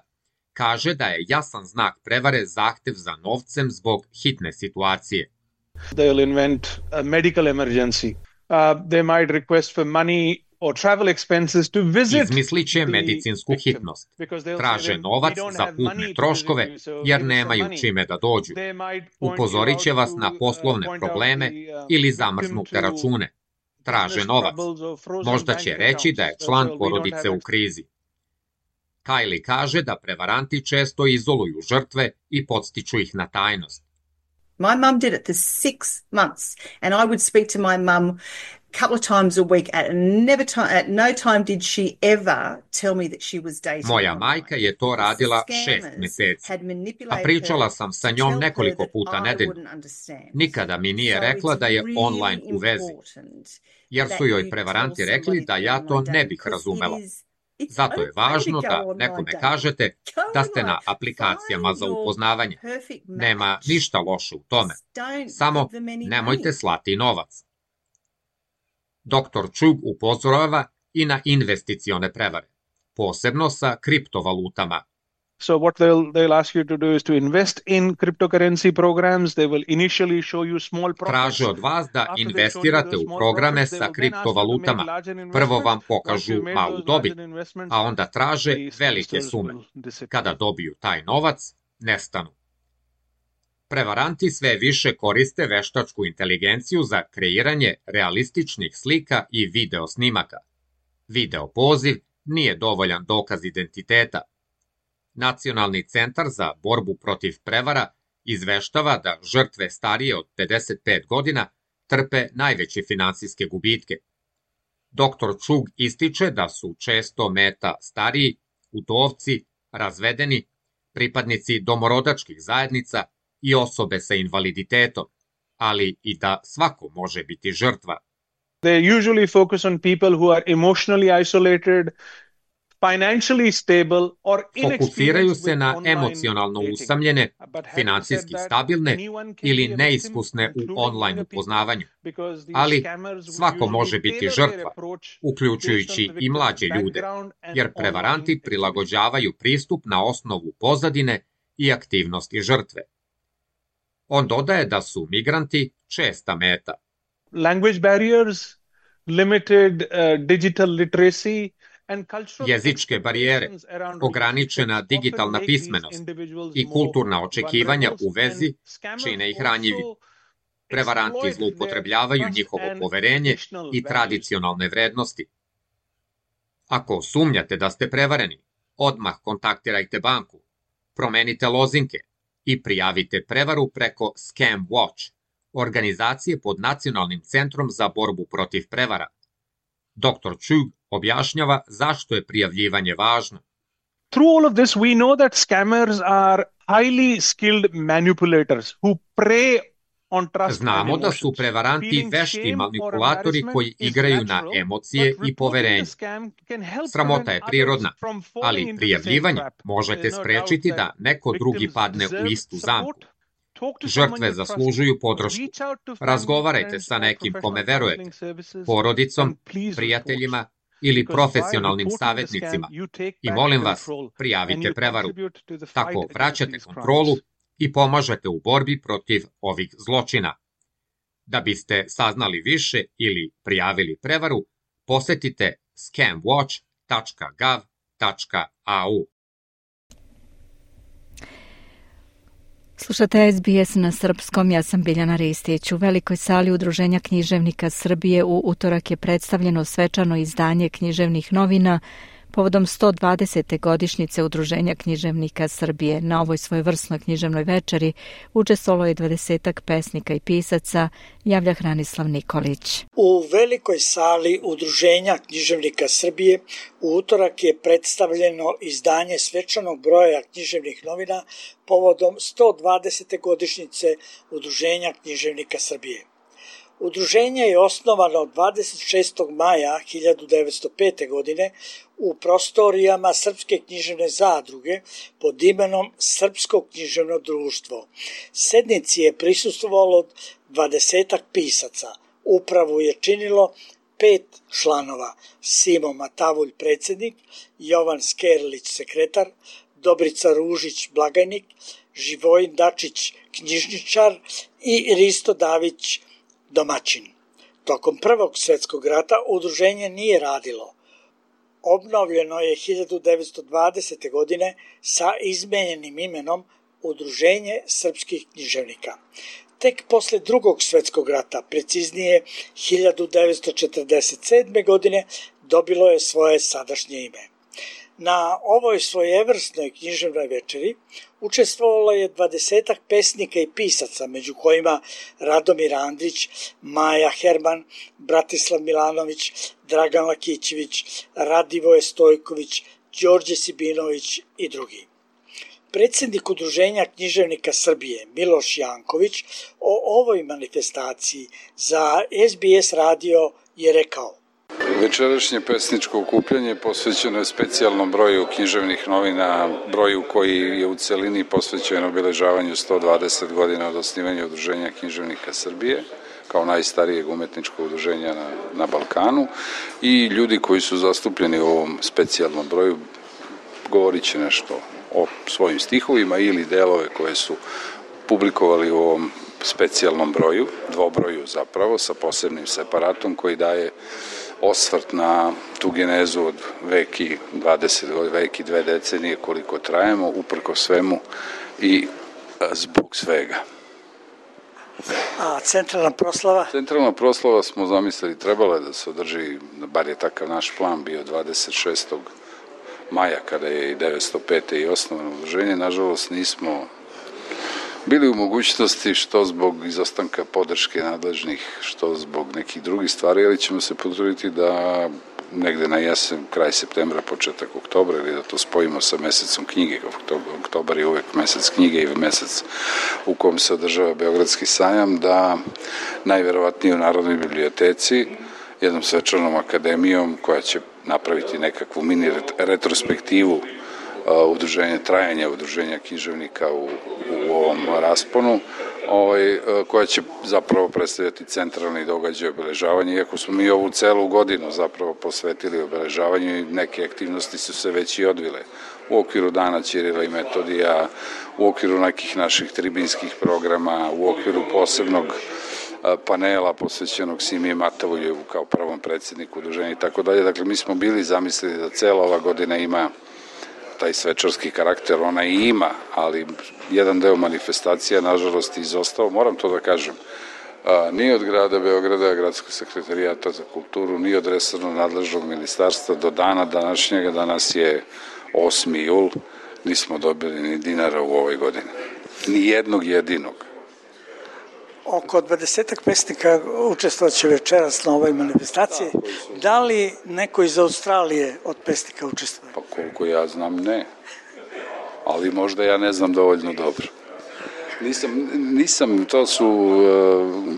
kaže da je jasan znak prevare zahtev za novcem zbog hitne situacije. They'll invent a medical emergency. They might request for money or travel expenses to visit. Izmisliće medicinsku hitnost. Traže novac za putne troškove jer nemaju čime da dođu. Upozorit će vas na poslovne probleme ili zamrznute račune. Traže novac. Možda će reći da je član porodice u krizi. Kylie kaže da prevaranti često izoluju žrtve i podstiču ih na tajnost. My mum did it for 6 months and I would speak to my mum a couple of times a week at no time did she ever tell me that she was dating. Moja majka je to radila 6 meseci, a pričala sam sa njom nekoliko puta nedeljno. Nikada mi nije rekla da je online u vezi, jer su joj prevaranti rekli da ja to ne bih razumela. Zato je važno da nekome kažete da ste na aplikacijama za upoznavanje. Nema ništa loše u tome. Samo nemojte slati novac. Dr. Chugh upozorava i na investicione prevare, posebno sa kriptovalutama. So what they'll ask you to do is to invest in cryptocurrency programs. They will initially show you small profits. Traže od vas da investirate u programe sa kriptovalutama. Prvo vam pokažu malu dobit, a onda traže velike sume. Kada dobiju taj novac, nestanu. Prevaranti sve više koriste veštačku inteligenciju za kreiranje realističnih slika i video snimaka. Video poziv nije dovoljan dokaz identiteta. Nacionalni centar za borbu protiv prevara izveštava da žrtve starije od 55 godina trpe najveće finansijske gubitke. Dr. Chugh ističe da su često meta stariji, udovci, razvedeni, pripadnici domorodačkih zajednica i osobe sa invaliditetom, ali i da svako može biti žrtva. They usually focus on people who are emotionally isolated, financially stable or fokusiraju se na emocionalno usamljene, finansijski stabilne ili neiskusne u online upoznavanju. Ali svako može biti žrtva, uključujući i mlađe ljude, jer prevaranti prilagođavaju pristup na osnovu pozadine i aktivnosti žrtve. On dodaje da su migranti česta meta. Language barriers, limited digital literacy, jezičke barijere, ograničena digitalna pismenost i kulturna očekivanja u vezi čine ih ranjivi. Prevaranti zloupotrebljavaju njihovo poverenje i tradicionalne vrednosti. Ako sumnjate da ste prevareni, odmah kontaktirajte banku, promenite lozinke i prijavite prevaru preko Scam Watch, organizacije pod Nacionalnim centrom za borbu protiv prevara. Dr. Chugh objašnjava zašto je prijavljivanje važno. Through all of this, we know that scammers are highly skilled manipulators who prey Znamo da su prevaranti vešti manipulatori koji igraju na emocije i poverenje. Sramota je prirodna, ali prijavljivanjem možete sprečiti da neko drugi padne u istu zamku. Žrtve zaslužuju podršku. Razgovarajte sa nekim kome verujete, porodicom, prijateljima ili profesionalnim savjetnicima i molim vas, prijavite prevaru. Tako vraćate kontrolu i pomažete u borbi protiv ovih zločina. Da biste saznali više ili prijavili prevaru, posetite scamwatch.gov.au. Slušate SBS na srpskom, ja sam Biljana Ristić. U velikoj sali Udruženja književnika Srbije u utorak je predstavljeno svečano izdanje književnih novina povodom 120. godišnjice Udruženja književnika Srbije. Na ovoj svojevrsnoj književnoj večeri učestvovalo je 20-ak pesnika i pisaca, javlja Hranislav Nikolić. U velikoj sali Udruženja književnika Srbije u utorak je predstavljeno izdanje svečanog broja književnih novina povodom 120. godišnjice Udruženja književnika Srbije. Udruženje je osnovano 26. maja 1905. godine u prostorijama Srpske književne zadruge pod imenom Srpsko književno društvo. Sednici je prisustvovalo 20-ak pisaca. Upravu je činilo 5 članova: Simo Matavulj predsjednik, Jovan Skerlić sekretar, Dobrica Ružić blagajnik, Živojin Dačić knjižničar i Risto Davić domaćin. Tokom Prvog svjetskog rata udruženje nije radilo. Obnovljeno je 1920. godine sa izmenjenim imenom Udruženje srpskih književnika. Tek posle Drugog svjetskog rata, preciznije 1947. godine, dobilo je svoje sadašnje ime. Na ovoj svojevrsnoj književnoj večeri učestvovalo je 20-ak pesnika i pisaca, među kojima Radomir Andrić, Maja Herman, Bratislav Milanović, Dragan Lakićević, Radivoje Stojković, Đorđe Sibinović i drugi. Predsjednik Udruženja književnika Srbije Miloš Janković o ovoj manifestaciji za SBS radio je rekao: Večerašnje pesničko okupljanje posvećeno je specijalnom broju književnih novina, broju koji je u celini posvećen obeležavanju 120 godina od osnivanja Udruženja književnika Srbije, kao najstarijeg umetničkog udruženja na Balkanu, i ljudi koji su zastupljeni u ovom specijalnom broju govorit će nešto o svojim stihovima ili delove koje su publikovali u ovom specijalnom broju, dvobroju zapravo, sa posebnim separatom koji daje osvrt na tu genezu od vek i 20 vek i 2 decenije koliko trajemo, uprko svemu i zbog svega. A centralna proslava? Centralna proslava smo zamislili, trebala je da se održi, bar je takav naš plan bio, 26. maja, kada je i 1905. i osnovano udruženje. Nažalost nismo bili u mogućnosti, što zbog izostanka podrške nadležnih, što zbog nekih drugih stvari, ali ćemo se potruditi da negde na jesen, kraj septembra, početak oktobra, ili da to spojimo sa mesecom knjige. Oktobar je uvek mesec knjige i mesec u kom se održava Beogradski sajam, da najverovatnije u Narodnoj biblioteci, jednom svečanom akademijom koja će napraviti nekakvu mini retrospektivu trajanja udruženja književnika u ovom rasponu, koja će zapravo predstavljati centralni događaj obeležavanja, iako smo mi ovu celu godinu zapravo posvetili obeležavanju i neke aktivnosti su se već i odvile u okviru Dana Ćirila i Metodija, u okviru nekih naših tribinskih programa, u okviru posebnog panela posvećenog Simi Matavuljevu kao prvom predsjedniku udruženja i tako dalje. Dakle, mi smo bili zamislili da cela ova godina ima taj svečarski karakter, ona i ima, ali jedan deo manifestacija, nažalost, izostao. Moram to da kažem, ni od grada Beograda, Gradskog sekretarijata za kulturu, ni od resornog nadležnog ministarstva do dana današnjega, danas je 8. jul, nismo dobili ni dinara u ovoj godini. Ni jednog jedinog. Oko 20-ak pesnika učestvovaće večeras na ovoj manifestaciji. Da li neko iz Australije od pesnika učestvuje? Pa koliko ja znam, ne. Ali možda ja ne znam dovoljno dobro. Nisam, to su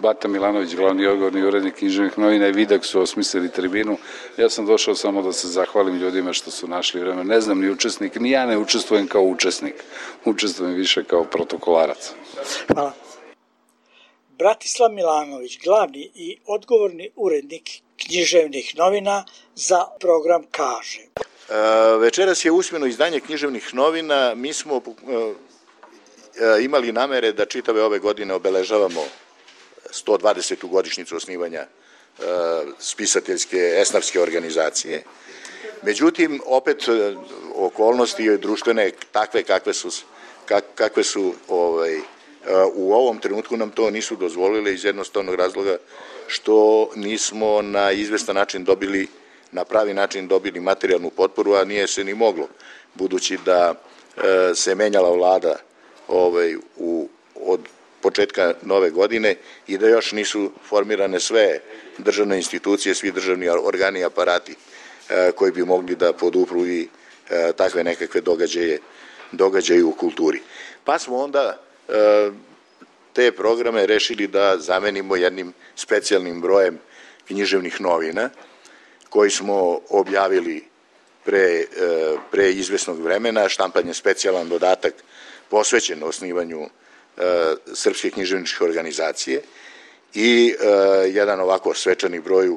Bata Milanović, glavni odgovorni urednik književnih novina i Vidak su osmislili tribinu. Ja sam došao samo da se zahvalim ljudima što su našli vreme. Ne znam ni učesnik, ni ja ne učestvujem kao učesnik. Učestvujem više kao protokolarac. Hvala. Bratislav Milanović, glavni i odgovorni urednik književnih novina za program kaže. Večeras je usmeno izdanje književnih novina. Mi smo imali namere da čitave ove godine obeležavamo 120. godišnjicu osnivanja spisateljske esnafske organizacije. Međutim, opet okolnosti društvene takve kakve su u ovom trenutku nam to nisu dozvolile iz jednostavnog razloga što nismo na izvestan način dobili, na pravi način dobili materijalnu potporu, a nije se ni moglo, budući da se menjala vlada od početka nove godine i da još nisu formirane sve državne institucije, svi državni organi i aparati koji bi mogli da podupru i takve nekakve događaje u kulturi. Pa smo onda te programe rešili da zamenimo jednim specijalnim brojem književnih novina koji smo objavili pre izvesnog vremena. Štampan je specijalan dodatak posvećen osnivanju Srpske književničke organizacije i jedan ovako svečani broj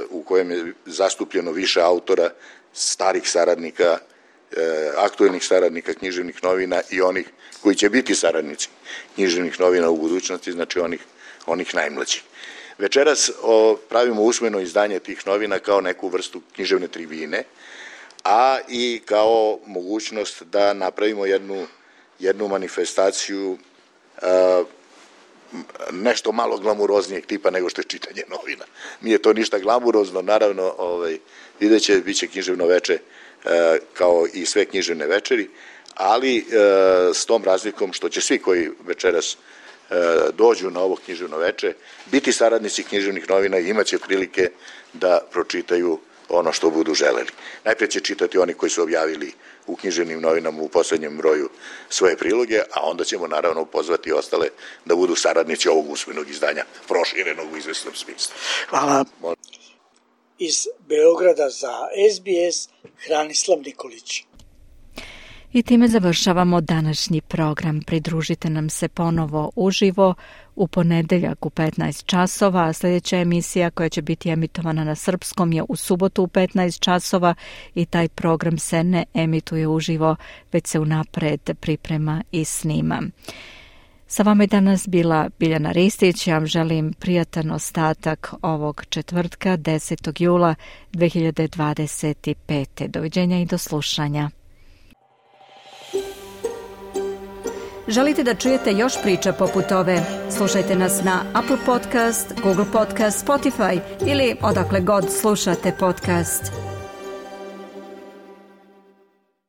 u kojem je zastupljeno više autora, starih saradnika, aktuelnih saradnika književnih novina i onih koji će biti saradnici književnih novina u budućnosti, znači onih najmlađih. Večeras pravimo usmeno izdanje tih novina kao neku vrstu književne tribine, a i kao mogućnost da napravimo jednu manifestaciju nešto malo glamuroznijeg tipa nego što je čitanje novina. Nije to ništa glamurozno, naravno, vidjet će, bit će književno veče kao i sve književne večeri, ali s tom razlikom što će svi koji večeras dođu na ovo književno veče biti saradnici književnih novina i imaće prilike da pročitaju ono što budu želeli. Najprej će čitati oni koji su objavili u književnim novinama u poslednjem broju svoje priloge, a onda ćemo naravno pozvati ostale da budu saradnici ovog usmenog izdanja, proširenog u izvesnom smislu. Hvala. Iz Beograda za SBS, Hranislav Nikolić. I time završavamo današnji program. Pridružite nam se ponovo uživo u ponedeljak u 15 časova, a sljedeća emisija koja će biti emitovana na srpskom je u subotu u 15 časova i taj program se ne emituje uživo, već se unapred priprema i snima. Sa vama je danas bila Biljana Ristić. Ja vam želim prijatan ostatak ovog četvrtka, 10. jula 2025. Doviđenja i do slušanja. Želite da čujete još priča poput ove? Slušajte nas na Apple Podcast, Google Podcast, Spotify ili odakle god slušate podcast.